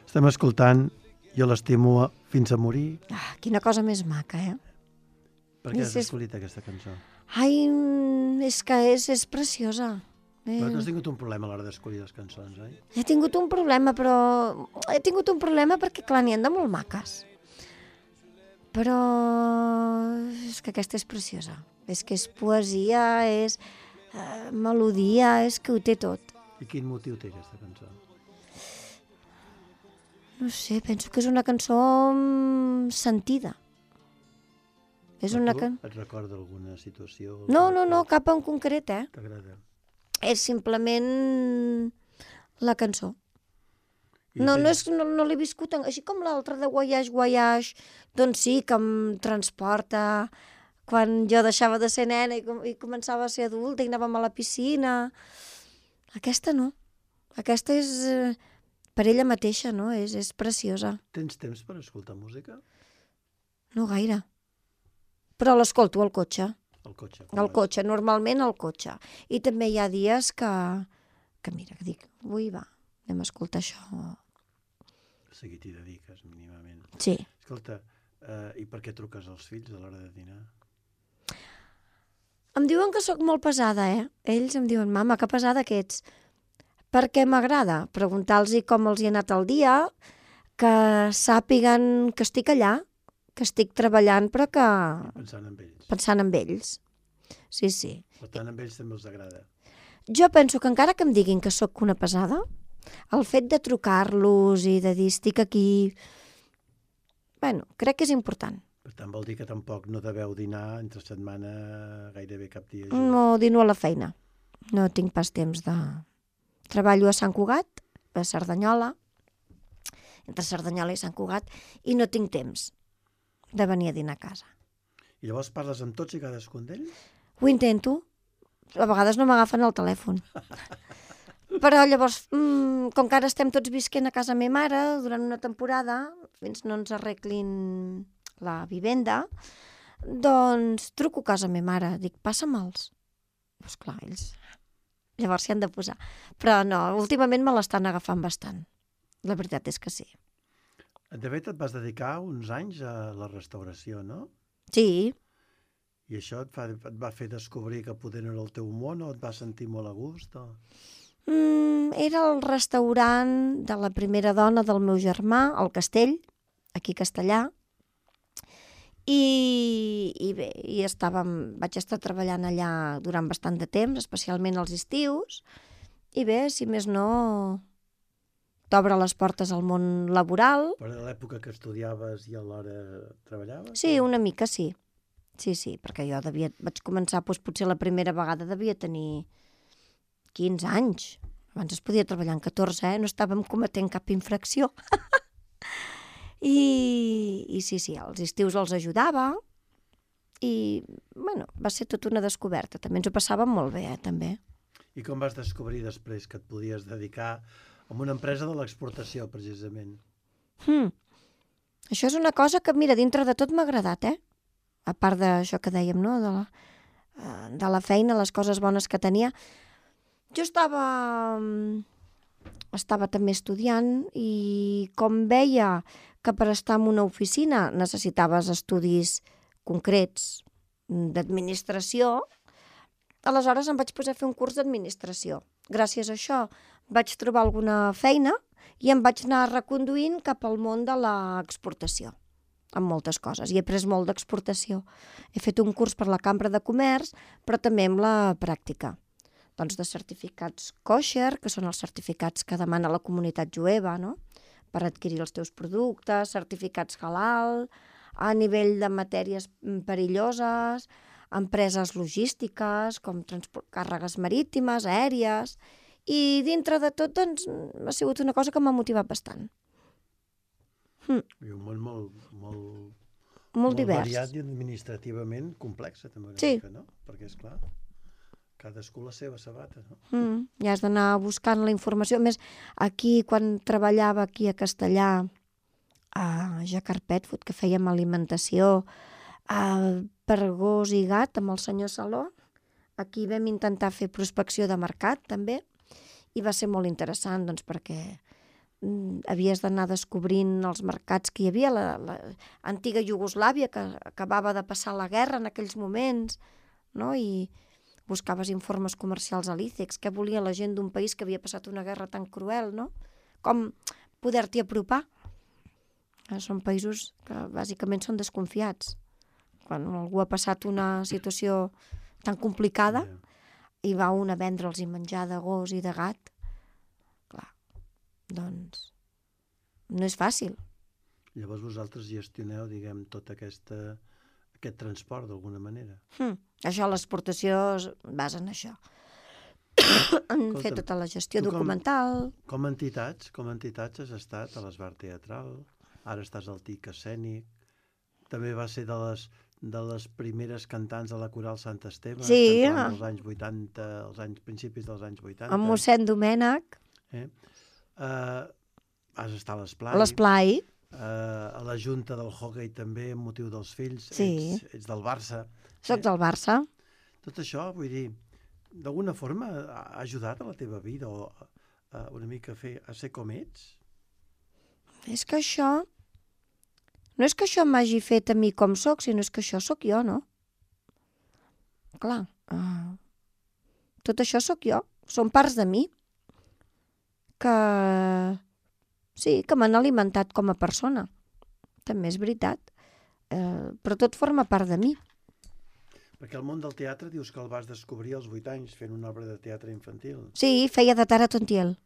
Estem escoltant Jo l'estimo fins a morir. Quina cosa més maca, Per què has escollit aquesta cançó? Ai, és que és preciosa. Però tu has tingut un problema a l'hora d'escollir les cançons, oi? He tingut un problema, perquè, clar, n'hi ha de molt maques. Però és que aquesta és preciosa. És que és poesia, és melodia, és que ho té tot. I quin motiu té aquesta cançó? No sé, penso que és una cançó sentida. És una Et recorda alguna situació? No, cap en concret, T'agrada? És simplement la cançó. No l'he viscut, així com l'altra de Voyage, doncs sí, que em transporta quan jo deixava de ser nena i començava a ser adulta i anàvem a la piscina. Aquesta no. Aquesta és per ella mateixa, no? És preciosa. Tens temps per escoltar música? No gaire. Però l'escolto al cotxe. Al cotxe? Normalment al cotxe. I també hi ha dies que mira, que dic, avui va, anem a escoltar això. O sigui, t'hi dediques mínimament. Sí. Escolta, i per què truques als fills a l'hora de dinar? Em diuen que sóc molt pesada, Ells em diuen, mama, que pesada que ets. Perquè m'agrada preguntar-los com els hi ha anat el dia, que sàpiguen que estic allà, que estic treballant, però que... Pensant en ells. Pensant en ells. Sí, sí. Per tant, amb ells també els agrada. Jo penso que encara que em diguin que sóc una pesada, el fet de trucar-los i de dir estic aquí, bueno, crec que és important. Per tant, vol dir que tampoc no deveu dinar entre setmana gairebé cap dia. No dino a la feina. No tinc pas temps de... Treballo a Sant Cugat, a Cerdanyola, entre Cerdanyola i Sant Cugat, i no tinc temps de venir a dinar a casa. I llavors parles amb tots i cadascun d'ells? Ho intento. A vegades no m'agafen el telèfon. Però llavors, com que ara estem tots visquent a casa meva mare durant una temporada, fins no ens arreglin la vivenda, doncs truco a casa meva mare, dic, passam'ls. Doncs clar, ells llavors s'hi han de posar. Però no, últimament me l'estan agafant bastant. La veritat és que sí. De fet, et vas dedicar uns anys a la restauració, no? Sí, I això et va fer descobrir que poder no era el teu món o et vas sentir molt a gust? O... era el restaurant de la primera dona del meu germà, al Castell, aquí a Castellà, i bé, vaig estar treballant allà durant bastant de temps, especialment als estius, i bé, si més no, t'obre les portes al món laboral. Però a l'època que estudiaves i alhora treballaves? Sí, una mica sí. Sí, perquè jo vaig començar, doncs, potser la primera vegada devia tenir 15 anys. Abans es podia treballar en 14, no estàvem cometent cap infracció. I sí, als estius els ajudava i, bueno, va ser tota una descoberta. També ens ho passàvem molt bé, també. I com vas descobrir després que et podies dedicar a una empresa de l'exportació, precisament? Això és una cosa que, mira, dintre de tot m'ha agradat, A part d'això que dèiem, no?, de la feina, les coses bones que tenia. Jo estava també estudiant i com veia que per estar en una oficina necessitaves estudis concrets d'administració, aleshores em vaig posar a fer un curs d'administració. Gràcies a això vaig trobar alguna feina i em vaig anar reconduint cap al món de l'exportació, amb moltes coses. I he après molt d'exportació. He fet un curs per la Cambra de Comerç, però també amb la pràctica. Doncs de certificats kosher, que són els certificats que demana la comunitat jueva, no?, per adquirir els teus productes, certificats halal, a nivell de matèries perilloses, empreses logístiques, com càrregues marítimes, aèries, i dintre de tot, doncs, ha sigut una cosa que m'ha motivat bastant. I un món molt divers. Variat i administrativament complex, també una mica, no? Perquè, esclar, cadascú la seva sabata, no? Ja has d'anar buscant la informació. A més, aquí, quan treballava aquí a Castellà, a Jacquard Pet Food, que fèiem alimentació per gos i gat amb el senyor Saló, aquí vam intentar fer prospecció de mercat, també, i va ser molt interessant, doncs, perquè havies d'anar descobrint els mercats que hi havia, l'antiga Iugoslàvia, que acabava de passar la guerra en aquells moments, no?, i buscaves informes comercials a l'ICEX, què volia la gent d'un país que havia passat una guerra tan cruel, no? Com poder-t'hi apropar. Són països que bàsicament són desconfiats. Quan algú ha passat una situació tan complicada i va un a vendre'ls i menjar de gos i de gat, clar, doncs no és fàcil. Llavors vosaltres gestioneu, diguem, tot aquest transport d'alguna manera. Això, l'exportació es basa en això. En fer tota la gestió documental. Com a entitats has estat a l'Esbar Teatral, ara estàs al TIC Escènic, també va ser de les primeres cantants de la Coral Sant Esteve, als anys 80, principis dels anys 80. Amb mossèn Domènec. Has estat a l'Esplai. A l'Esplai. A la Junta del Hockey també, amb motiu dels fills. Sí. Ets del Barça. Soc del Barça. Tot això, vull dir, d'alguna forma ha ajudat a la teva vida o una mica a ser com ets? És que això... No és que això m'hagi fet a mi com soc, sinó és que això sóc jo, no? Clar, tot això sóc jo. Són parts de mi que... Sí, que m'han alimentat com a persona. També és veritat. Però tot forma part de mi. Perquè el món del teatre dius que el vas descobrir als 8 anys fent una obra de teatre infantil. Sí, feia de Tara Tontiel.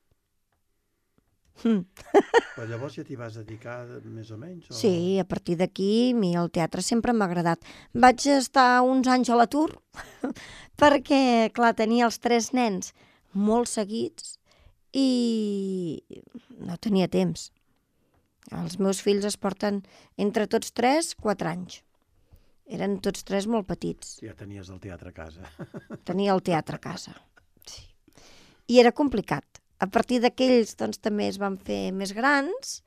Però llavors ja t'hi vas dedicar més o menys? O... Sí, a partir d'aquí a mi el teatre sempre m'ha agradat. Vaig estar uns anys a l'atur perquè, clar, tenia els 3 nens molt seguits i no tenia temps. Els meus fills es porten entre tots 3, 4 anys. Eren tots 3 molt petits. Ja tenies el teatre a casa. Tenia el teatre a casa. Sí. I era complicat. A partir d'aquells doncs, també es van fer més grans,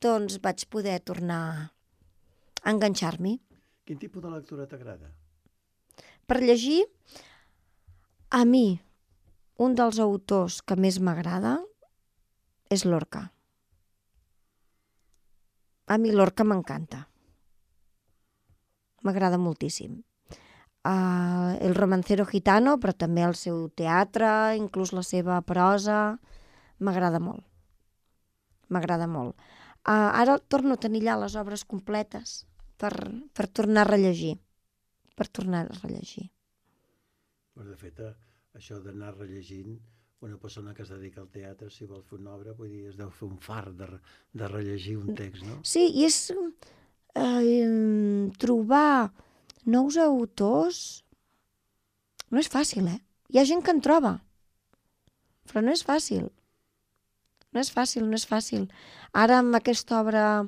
doncs vaig poder tornar a enganxar-m'hi. Quin tipus de lectura t'agrada? Per llegir, a mi, un dels autors que més m'agrada és Lorca. A mi Lorca m'encanta. M'agrada moltíssim. El romancero gitano, però també el seu teatre, inclús la seva prosa, m'agrada molt. M'agrada molt. Ara torno a tenir allà les obres completes per tornar a rellegir. Per tornar a rellegir. De fet, això d'anar rellegint, una persona que es dedica al teatre, si vol fer una obra, vull dir, es deu fer un fart de rellegir un text, no? Sí, i és trobar nous autors no és fàcil, Hi ha gent que en troba, però no és fàcil. No és fàcil. Ara amb aquesta obra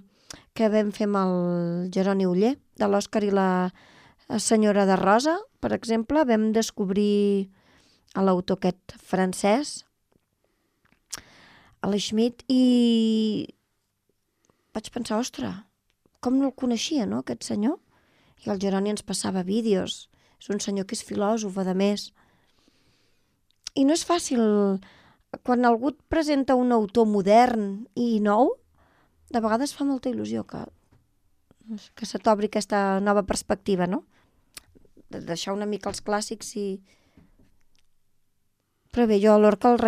que vam fer amb el Jeroni Oller, de l'Òscar i la senyora de Rosa, per exemple, vam descobrir a l'autor aquest francès, a l'Schmidt, i vaig pensar, ostres, com no el coneixia, no, aquest senyor? I el Jeroni ens passava vídeos. És un senyor que és filòsof, a més. I no és fàcil. Quan algú et presenta un autor modern i nou, de vegades fa molta il·lusió que se t'obri aquesta nova perspectiva, no? De deixar una mica els clàssics i... Però bé, jo a Lorca el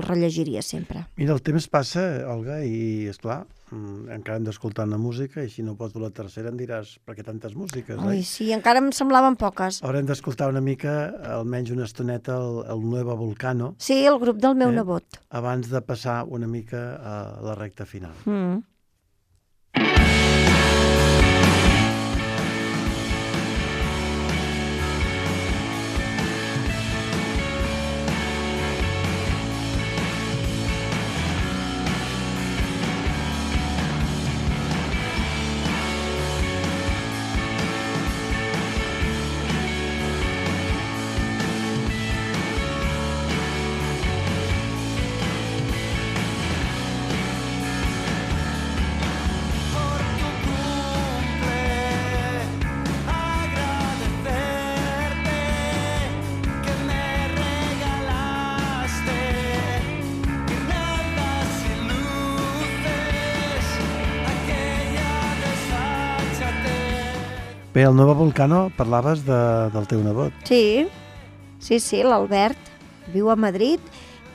rellegiria sempre. Mira, el temps passa, Olga, i, esclar, encara hem d'escoltar una música, i si no pots dur la tercera em diràs per què tantes músiques, Ai, sí, encara em semblaven poques. Haurem d'escoltar una mica, almenys una estoneta, el Nuevo Volcano. Sí, el grup del meu nebot. Abans de passar una mica a la recta final. Bé, el Nuevo Volcano, parlaves del teu nebot. Sí, l'Albert viu a Madrid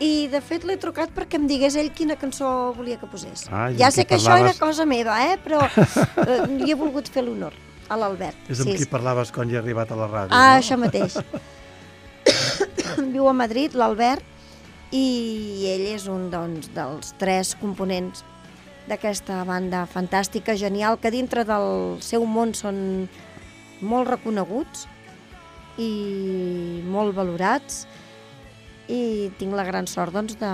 i de fet l'he trucat perquè em digués ell quina cançó volia que posés. Ja sé que això era cosa meva, però li he volgut fer l'honor a l'Albert. És amb qui parlaves quan hi ha arribat a la ràdio, no? Això mateix. Viu a Madrid, l'Albert, i ell és un dels 3 components d'aquesta banda fantàstica, genial, que dintre del seu món són molt reconeguts i molt valorats, i tinc la gran sort de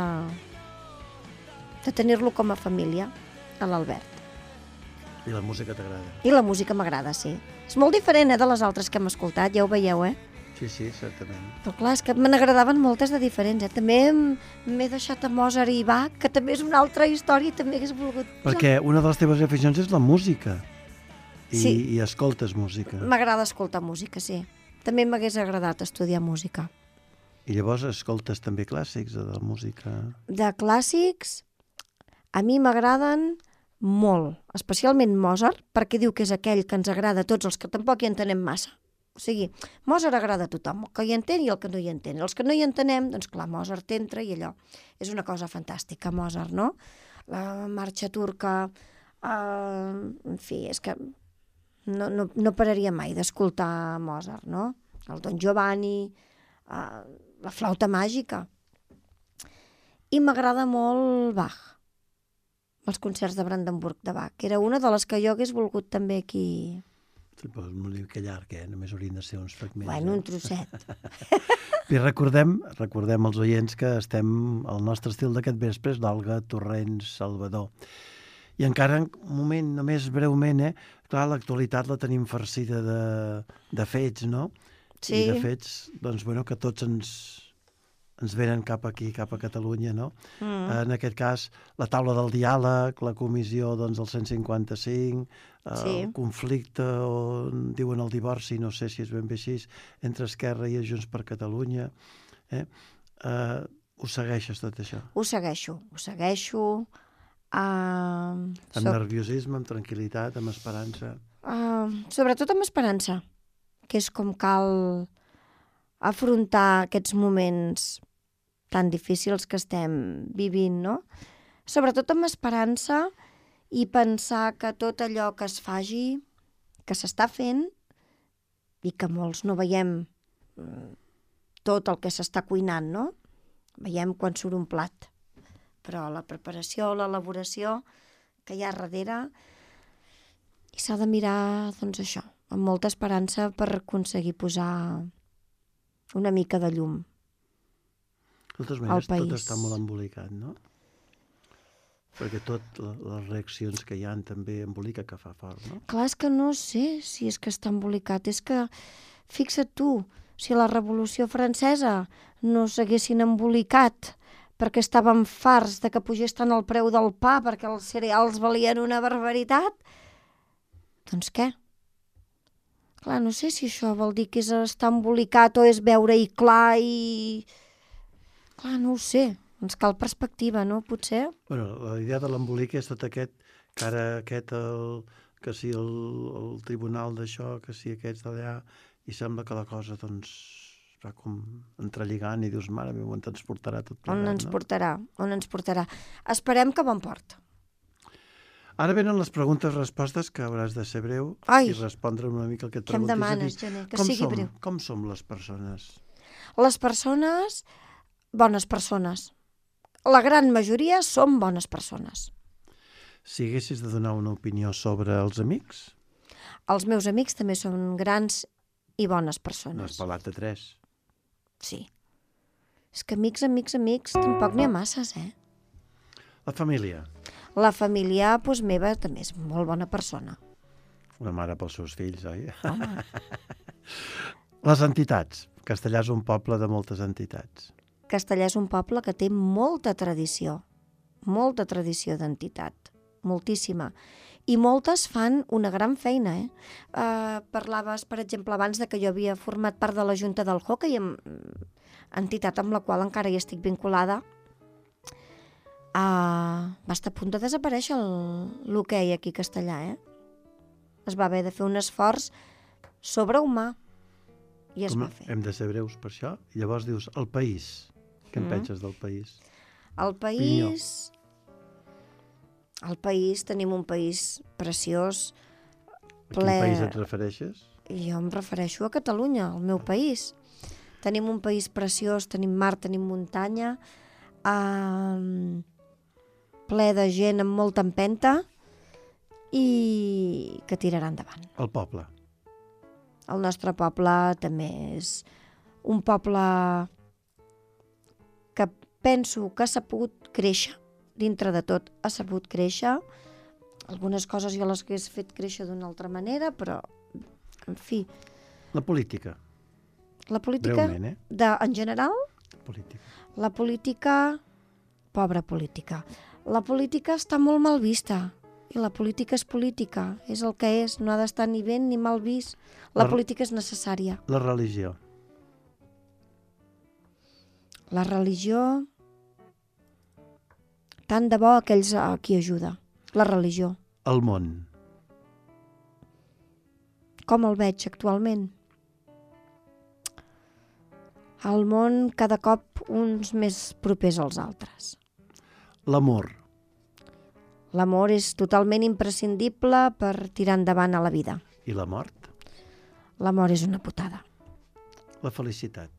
tenir-lo com a família, a l'Albert. I la música t'agrada? I la música m'agrada, sí. És molt diferent de les altres que hem escoltat, ja ho veieu, Sí, certament. Però clar, és que me n'agradaven moltes de diferents. També m'he deixat a Mozart i Bach, que també és una altra història i també hagués volgut... Perquè una de les teves aficions és la música. Sí. I escoltes música. M'agrada escoltar música, sí. També m'hagués agradat estudiar música. I llavors escoltes també clàssics de la música? De clàssics, a mi m'agraden molt, especialment Mozart, perquè diu que és aquell que ens agrada a tots els que tampoc hi entenem massa. O sigui, Mozart agrada a tothom, el que hi entén i el que no hi entén. Els que no hi entenem, doncs clar, Mozart entra i allò. És una cosa fantàstica, Mozart, no? La marxa turca, en fi, és que no pararia mai d'escoltar Mozart, no? el Don Giovanni, la flauta màgica. I m'agrada molt Bach, els concerts de Brandenburg de Bach, que era una de les que jo hagués volgut també aquí. Sí, però és molt que llarg, només haurien de ser uns fragments. Bueno, un trosset. I recordem als oients que estem al nostre estil d'aquest vespre, d'Olga Torrents Salvador. I encara un moment, només breument, clar, l'actualitat la tenim farcida de fets, no? Sí. I de fets, doncs, bueno, que tots ens venen cap aquí, cap a Catalunya, no? En aquest cas, la taula del diàleg, la comissió del 155, el conflicte, o diuen el divorci, no sé si és ben bé així, entre Esquerra i Junts per Catalunya. Ho segueixes, tot això? Ho segueixo. Amb nerviosisme, amb tranquil·litat, amb esperança? Sobretot amb esperança, que és com cal afrontar aquests moments tan difícils que estem vivint, no? Sobretot amb esperança i pensar que tot allò que es faci, que s'està fent, i que molts no veiem tot el que s'està cuinant, no? Veiem quan surt un plat. Però la preparació, l'elaboració que hi ha darrere, i s'ha de mirar, doncs això, amb molta esperança per aconseguir posar una mica de llum de totes maneres, tot està molt embolicat, no? Perquè les reaccions que hi ha també embolica que fa fort, no? Clar, és que no sé si és que està embolicat. És que, fixa't tu, si la Revolució Francesa no s'haguessin embolicat perquè estàvem farts de que pugés tant el preu del pa, perquè els cereals valien una barbaritat, doncs què? Clar, no sé si això vol dir que és estar embolicat o és veure-hi clar i... Clar, no ho sé. Ens cal perspectiva, no? Potser? Bueno, la idea de l'embolic és tot aquest, que ara que si el tribunal d'això, que si aquests d'allà, i sembla que la cosa, doncs, va com entrelligant i dius, mare meva, on ens portarà tot plegat, no? On ens portarà? Esperem que bon port. Ara venen les preguntes-respostes, que hauràs de ser breu i respondre una mica el que et preguntis. Què em demanes, Gené? Que sigui breu. Com som les persones? Les persones, bones persones. La gran majoria som bones persones. Si haguessis de donar una opinió sobre els amics? Els meus amics també són grans i bones persones. N'has parlat de 3. Sí. És que amics, tampoc n'hi ha masses, La família? La família, doncs, meva, també és molt bona persona. Una mare pels seus fills, oi? Home. Les entitats. Castellà és un poble de moltes entitats. Castellà és un poble que té molta tradició d'entitat, moltíssima. I moltes fan una gran feina, Parlaves, per exemple, abans de que jo havia format part de la Junta del Hockey, entitat amb la qual encara hi estic vinculada. Va estar a punt de desaparèixer l'hoquei aquí a Castellà, Es va haver de fer un esforç sobrehumà i es va fer. Hem de ser breus per això. I llavors dius, el país. Què en penses del país? El país... Al país tenim un país preciós, ple... A quin país et refereixes? Jo em refereixo a Catalunya, al meu país. Tenim un país preciós, tenim mar, tenim muntanya, ple de gent amb molta empenta i que tirarà endavant. El poble? El nostre poble també és un poble que penso que s'ha pogut créixer. Dintre de tot ha sabut créixer. Algunes coses jo les hagués fet créixer d'una altra manera, però, en fi... La política. La política, breument, en general? Política. La política... Pobra política. La política està molt mal vista. I la política és política. És el que és. No ha d'estar ni ben ni mal vist. La política és necessària. La religió. La religió... Tant de bo aquells a qui ajuda. La religió. El món. Com el veig actualment? El món cada cop uns més propers als altres. L'amor. L'amor és totalment imprescindible per tirar endavant a la vida. I la mort? La mort és una putada. La felicitat.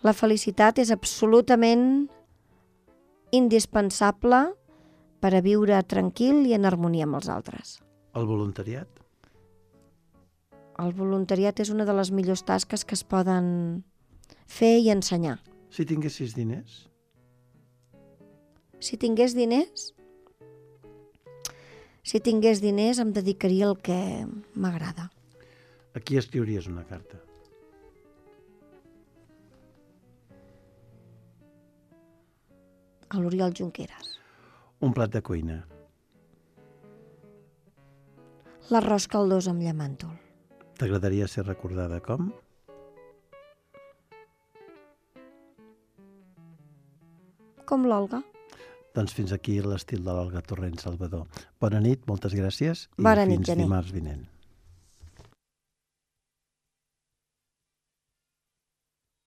La felicitat és absolutament indispensable per a viure tranquil i en harmonia amb els altres. El voluntariat. El voluntariat és una de les millors tasques que es poden fer i ensenyar. Si tinguessis diners, Si tingués diners em dedicaria al que m'agrada. a qui escriuries una carta? A l'Oriol Junqueras. Un plat de cuina. L'arròs caldós amb llamàntol. T'agradaria ser recordada com? Com l'Olga. Doncs fins aquí l'estil de l'Olga Torrent Salvador. Bona nit, moltes gràcies i Bona nit, fins Gené. dimarts vinent.